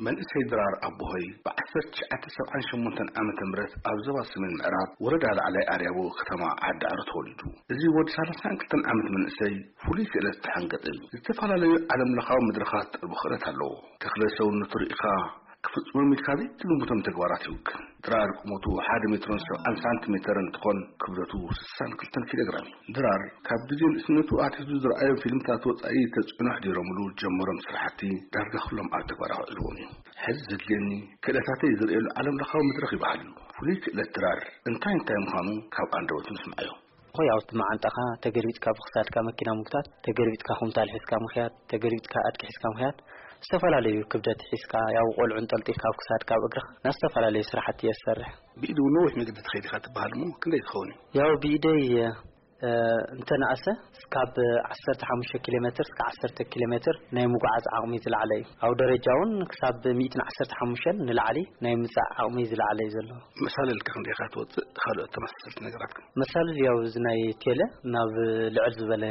መንእሰይ ድራር ኣቦሆይ ብ1978 ዓመተ ምህረት ኣብ ዞባ ሰሜን ምዕራብ ወረዳ ላዕላይ ኣርያቦ ከተማ ዓዲ ዕረ ተወሊዱ። እዚ ወዲ 32 ዓመት መንእሰይ ፍሉይ ክእለት ዝተሓንገጠ እዩ። ዝተፈላለዩ ዓለም ለኻዊ መድረኻት ጥበብ ክእለት ኣለዎ። ተኽለ ሰውነቱ ርኢኻ ክፍጽሞም ኢልካ ዘይትግምቶም ተግባራት ይውክል። ድራር ቁመቱ ሓደ ሜትሮን 70 ሳንቲሜተር እንትኾን ክብደቱ 62 ኪሎ ግራም እዩ። ድራር ካብ ግዜ ንእስነቱ ኣትሒዙ ዝረኣዮም ፊልምታት ወጻኢ ተጽዕኖ ኣሕዲሮምሉ ጀመሮም ስራሕቲ ዳርጋ ኩሎም ኣብ ተግባር ኣውዒልዎም እዩ። ሕዚ ዘድልየኒ ክእለታተይ ዝርእየሉ ዓለም ለኻዊ መድረኽ ይበሃል እዩ። ፍሉይ ክእለት ድራር እንታይ እንታይ ምዃኑ ካብ ኣንደበቱ ንስምዓዮ። ኾይ ኣብቲ መዓንጣኻ ተገልቢጥካ ብክሳድካ መኪና ምጉታት፣ ተገልቢጥካ ኩምታል ሒዝካ ምኽያድ፣ ተገልቢጥካ ኣድቂ ሒዝካ ምኽያድ፣ ዝተፈላለዩ ክብደት ሒዝካ ያው ቆልዑ እንጠልጢልካ ኣብ ክሳድካ ኣብ እግርኻ ናብ ዝተፈላለዩ ስራሕቲ እየ ዝሰርሕ። ብኢድ እውን ነዊሕ መገዲ ትኸይድ ኢኻ ትበሃል እሞ ክንደይ ትኸውን እዩ? ያው ብኢደይ እ፣ እንተነኣሰ እስካብ 15 ኪሎ ሜትር እስከ 10 ኪሎ ሜትር ናይ ምጉዓዝ ዓቕሚ ዝለዓለ እዩ። ኣብ ደረጃ እውን ክሳብ 115 ንላዕሊ ናይ ምጻእ ዓቕሚ ዝለዓለ እዩ ዘሎ። መሳለል ከ ክንደይ ኢኻ ትወጽእ? ካልኦት ተመሳሰልቲ ነገራት ከ? መሳለል ያው እዚ ናይ ቴለ ናብ ልዕል ዝበለ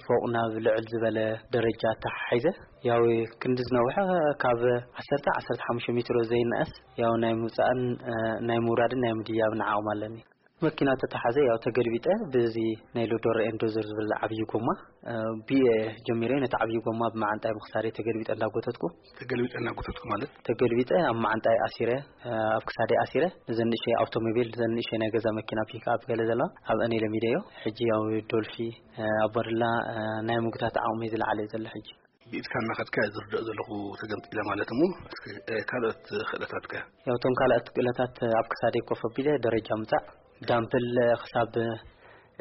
ፎቕ ናብ ልዕል ዝበለ ደረጃ ተሓሒዘ ያው ክንዲ ዝነውሐ ካብ 10 15 ሜትሮ ዘይነኣስ ያው ናይ ምውጻእን እ፣ ናይ ምውራድን ናይ ምድያብን ዓቕሚ ኣለኒ። መኪና ተተሓዘ ያው ተገልቢጠ ብዚ ናይ ሎዶር ኤንዶዘር ዝብል ዓብዪ ጎማ እ፣ ብየ ጀሚረ ነቲ ዓብዪ ጎማ ብመዓንጣይ ምክሳደ ተገልቢጠ እንዳጎተትኩ ተገልቢጠ እናጎተትኩ ማለት? ተገልቢጠ ኣብ መዓንጣይ ኣሲረ እ፣ ኣብ ክሳደይ ኣሲረ ነዘን ንእሸይ ኣውቶሞቢል ነዘን ንእሸይ ናይ ገዛ መኪና ፒክኣፕ ገለ ዘለዋ ኣብአን ለሚደዮ። ሕጂ ያው ዶልፊ እ፣ ኣቦርላ እ፣ ናይ ምግታት ዓቕሚ ዝለዓለ እዩ ዘሎ ሕጂ። ብኢድካ እናኸድካ ዝርድኦ ዘለኹ ተገምጢለ ማለት እሞ እስኪ እ፣ ካልኦት ክእለታትከ? ያው እቶም ካልኦት ክእለታት ኣብ ክሳደይ ኮፍ ኣቢለ ደረጃ ምጻእ ዳምፕል ክሳብ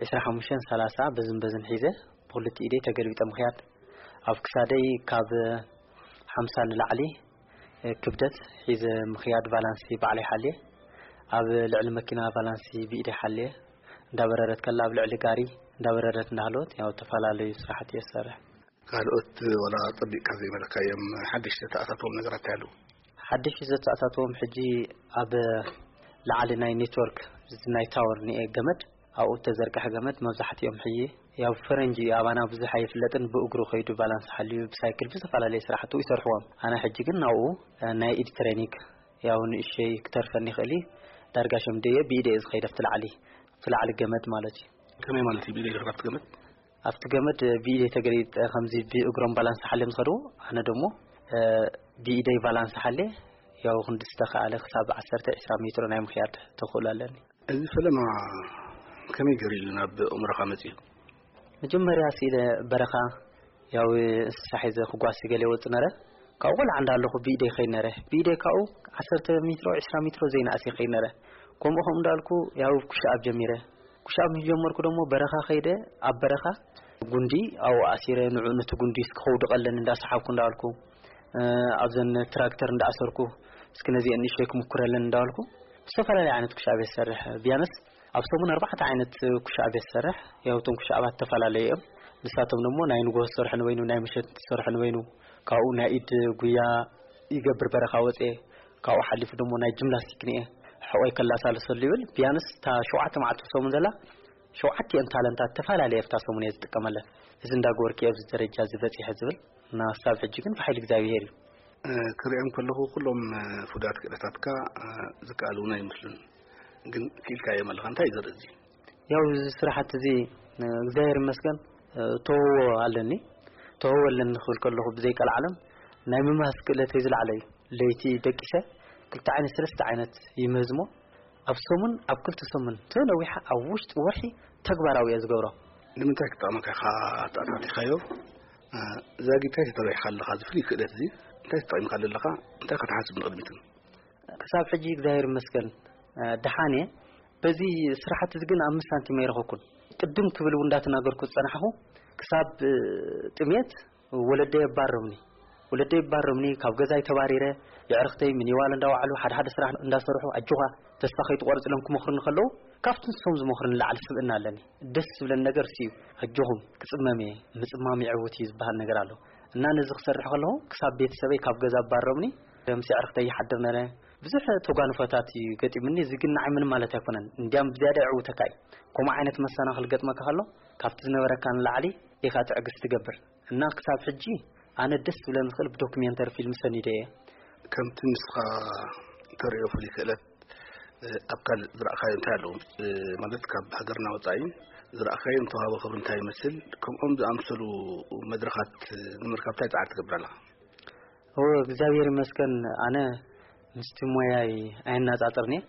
25 30 በዝን በዝን ሒዘ ብክልቲ ኢደይ ተገልቢጠ ምኽያድ ኣብ ክሳደይ ካብ 50 ንላዕሊ እ፣ ክብደት ሒዘ ምኽያድ ባላንሲ ባዕለይ ሓልየ ኣብ ልዕሊ መኪና ባላንሲ ብኢደይ ሓልየ እንዳበረረት ከላ ኣብ ልዕሊ ጋሪ እንዳበረረት እንዳሃለወት ያው ዝተፈላለዩ ስራሕቲ እየ ዝሰርሕ። ካልኦት ወላ ጸቢቕካ ዘይበለካዮም ሓደሽቲ ተኣታትዎም ነገራት እንታይ ኣለዉ? ሓደሽቲ ዘተኣታትዎም ሕጂ ኣብ ላዕሊ ናይ ኔትወርክ ናይ ታወር ንኤ ገመድ ኣብኡ ተዘርግሐ ገመድ መብዛሕትኦም ሕጂ ያው ፈረንጂ ኣባና ብዙሕ ኣይፍለጥን ብእግሩ ከይዱ ባላንስ ሓልዩ ብሳይክል ብዝፈላለየ ስራሕቱ ይሰርሕዎም። ኣነ ሕጂ ግን ናብኡ እ፣ ናይ ኢድ ትሬኒንግ ያው ንእሸይ ክተርፈኒ ይኽእል እዩ። ዳርጋ ሸምደየ ብኢደ እየ ዝኸይድ ኣብቲ ላዕሊ ኣብቲ ላዕሊ ገመድ ማለት እዩ። ከመይ ማለት እዩ ብኢደ ይኸይድ ኣብቲ ገመድ? ኣብቲ ገመድ ብኢደ ተገሊጠ ከምዚ ብእግሮም ባላንስ ሓልዮም ዝኸድዎ ኣነ ደሞ እ፣ ብኢደይ ባላንስ ሓልየ ያው ክንዲ ዝተኻኣለ ክሳብ 10 20 ሜትሮ ናይ ምኽያድ ተኽእሎ ኣለኒ። እዚ ፈለማ ከመይ ገይሩ እዩ ናብ ኣእምሮኻ መጺኡ? መጀመርያ ስኢለ በረኻ ያው እንስሳ ሒዘ ክጓሲ ገለ ይወጽእ ነረ። ካብኡ ቆልዓ እንዳለኹ ብኢደይ ይኸይድ ነረ። ብኢደይ ካብኡ 10 ሜትሮ 20 ሜትሮ ዘይንኣስ ይኸይድ ነረ። ከምኡ ከምኡ እንዳልኩ ያው ኩሻኣብ ጀሚረ። ኩሻኣብ ምስ ጀመርኩ ደሞ በረኻ ከይደ ኣብ በረኻ ጉንዲ ኣብኡ ኣሲረ ንዑ ነቲ ጉንዲ እስኪ ከውድቐለን እንዳሰሓብኩ እንዳልኩ እ፣ ኣብዘን ትራክተር እንዳኣሰርኩ እስኪ ነዚአን ንእሽተይ ክምኩረለን እንዳበልኩ ዝተፈላለየ ዓይነት ኩሻብ እየ ዝሰርሕ። ቢያንስ ኣብ ሰሙን ኣርባዕተ ዓይነት ኩሻብ እየ ዝሰርሕ። ያው እቶም ኩሻባት ዝተፈላለዩ እዮም። ንሳቶም ደሞ ናይ ንግሆ ዝሰርሑ ንበይኑ፣ ናይ ምሸት ዝሰርሑ ንበይኑ፣ ካብኡ ናይ ኢድ ጉያ ይገብር በረኻ ወፅየ። ካብኡ ሓሊፉ ደሞ ናይ ጅምናስቲክ ንኤ ሕቆይ ከላሳልሰሉ ይብል። ቢያንስ እታ ሸውዓተ መዓልቲ ሰሙን ዘላ ሸውዓቲአን ታለንታት ተፈላለየ ኣብታ ሰሙን እየ ዝጥቀመለን። እዚ እንዳገበርኩ እየ ኣብዚ ደረጃ እዚ በፂሐ ዝብል እና ክሳብ ሕጂ ግን ብሓይሊ እግዚኣብሄር እዩ። እ፣ ክሪኦም ከለኹ ኩሎም እ፣ ፍሉያት ክእለታትካ እ፣ ዝከኣሉ እውን ኣይመስሉን። ግን ክኢልካዮም ኣለኻ። እንታይ እዩ ዘርኢ እዚ? ያው እዚ ስራሓት እዚ እ፣ እግዚኣብሄር ይመስገን እ፣ ተውህቦ ኣለኒ። ተውህቦ ኣለኒ ክብል ከለኹ ብዘይቀልዓለም ናይ ምምሃዝ ክእለተይ ዝለዓለ እዩ። ለይቲ ደቂሰ ክልተ ዓይነት ሰለስተ ዓይነት ይምህዝ እሞ ኣብ ሰሙን ኣብ ክልተ ሰሙን ተነዊሓ ኣብ ውሽጢ ወርሒ ተግባራዊ እየ ዝገብሮ። ንምንታይ ክጠቕመካ ኢኻ ኣተኣታቲኻዮ? እ፣ ዛጊት እንታይ ተተባሂኻ ኣለኻ? እዚ ፍሉይ ክእለት እዚ እንታይ ተጠቒምካሉ ኣለኻ? እንታይ ኢኻ ትሓስብ ንቕድሚት እውን? ክሳብ ሕጂ እግዚኣብሔር ይመስገን እ፣ ደሓን እየ። በዚ ስራሕቲ እዚ ግን ኣምስት ሳንቲም ኣይረኸብኩን። ቅድም ክብል እውን እንዳተናገርኩ ዝጸናሕኹ ክሳብ እ፣ ጥሜት ወለደይ ኣባረሩኒ። ወለደይ ኣባረሩኒ፣ ካብ ገዛይ ተባሪረ፣ የዕርኽተይ ሚኒዋል እንዳወዓሉ ሓደ ሓደ ስራሕ እንዳሰርሑ ኣጆኻ ተስፋ ከይትቆርጽ ኢሎም ክመኽሩኒ ከለዉ ካብቲ ንሶም ዝመኽሩኒ ንላዕሊ ስብእና ኣለኒ። ደስ ዝብለኒ ነገር እሱ እዩ። ኣጆኹም ክጽመም እየ፣ ምጽማም የዕውት እዩ ዝበሃል ነገር ኣሎ። እና ነዚ ክሰርሕ ከለኹ ክሳብ ቤተሰበይ ካብ ገዛ ኣባረሩኒ፣ ምስ የዕርኽተይ ይሓድር ነረ። ብዙሕ ተጓንፎታት እዩ ገጢሙኒ። እዚ ግን ንዓይ ምንም ማለት ኣይኮነን። እንዲያም ብዝያዳ የዕውተካ እዩ። ከምኡ ዓይነት መሰናኽል ገጥመካ ከሎ ካብቲ ዝነበረካ ንላዕሊ ኢኻ ትዕግስቲ ትገብር። እና ክሳብ ሕጂ ኣነ ደስ ዝብለኒ ዝኽእል ብዶክሜንተሪ ፊልም ሰኒደ እየ። ከምቲ ንስኻ ተርእዮ ፍሉይ ክእለት ኣብ ካልእ ዝረኣኻዮ እንታይ ኣለዎ? ማለት ካብ ሃገርና ወጻኢ ዝረኣኻዮ ንተዋህቦ ክብሪ እንታይ ይመስል? ከምኦም ዝኣምሰሉ መድረኻት ንምርካብ እንታይ ጻዕሪ ትገብር ኣለኻ? እወ እግዚኣብሔር ይመስገን ኣነ ምስቲ ሞያይ ኣየናጻጽርንየ።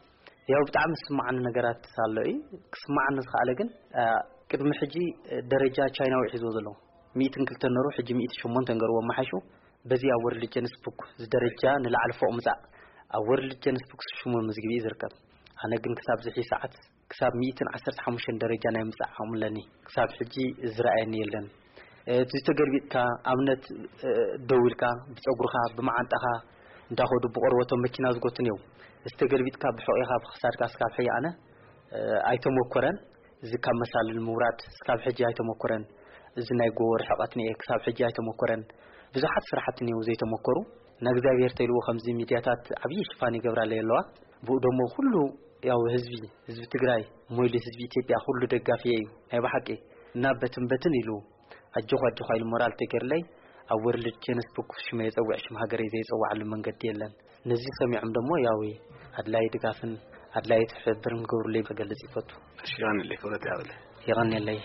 ያው ብጣዕሚ ዝስማዓኒ ነገራት ኣሎ እዩ። ክስማዓኒ ዝኸኣለ ግን ቅድሚ ሕጂ ደረጃ ቻይናዊ ሒዝዎ ዘሎ ሚእትን ክልተን ነሩ ሕጂ ሚእቲ ሸሞንተ ንገርዎ ኣመሓይሹ በዚ ኣብ ወርልድ ጀንስ ቡክ ዝደረጃ ንላዕሊ ፎቕ ምጻእ ኣብ ወርልድ ጀንስ ቡክ ሽሙ ምዝግቢ እዩ ዝርከብ። ኣነ ግን ክሳብ ዝሒ ሰዓት ክሳብ ሚእትን ዓሰርተ ሓሙሽተን ደረጃ ናይ ምጻእ ዓቕሚ ኣለኒ። ክሳብ ሕጂ ዝረኣየኒ የለን። እቲ ዝተገልቢጥካ ኣብነት ደው ኢልካ ብጸጉርኻ ብመዓንጣኻ እንዳኸዱ ብቆርበቶም መኪና ዝጎቱን እዮም። ዝተገልቢጥካ ብሕቑኻ ብክሳድካ እስካብ ሕጂ ኣነ ኣይተሞከረን። እዚ ካብ መሳልል ምውራድ እስካብ ሕጂ ኣይተሞከረን። እዚ ናይ ጎቦ ርሕቐት ንኤ ክሳብ ሕጂ ኣይተሞከረን። ብዙሓት ስራሕቲ እኒው ዘይተሞከሩ። ንእግዚኣብሔር ተይልዎ ከምዚ ሚድያታት ዓብዪ ሽፋን ይገብራለይ ኣለዋ። ብኡ ደሞ ኩሉ ያው ህዝቢ ህዝቢ ትግራይ ሞይሉ ህዝቢ ኢትዮጵያ ኩሉ ደጋፊ እዩ ናይ ብሓቂ። እና በትን በትን ኢሉ ኣጆኹ ኣጆኻ ኢሉ ሞራል ተገርለይ ኣብ ወርልድ ጀነስ ቡክ ሽመ የጸውዕ ሽም ሃገረይ ዘይጸዋዓሉ መንገዲ የለን። ነዚ ሰሚዖም ደሞ ያው ኣድላይ ድጋፍን ኣድላይ ትሕብብርን ክገብሩለይ ክገልጽ ይፈቱ። እሺ፣ ይቐንለይ፣ ክብረት ያብለ። ይቐንለይ።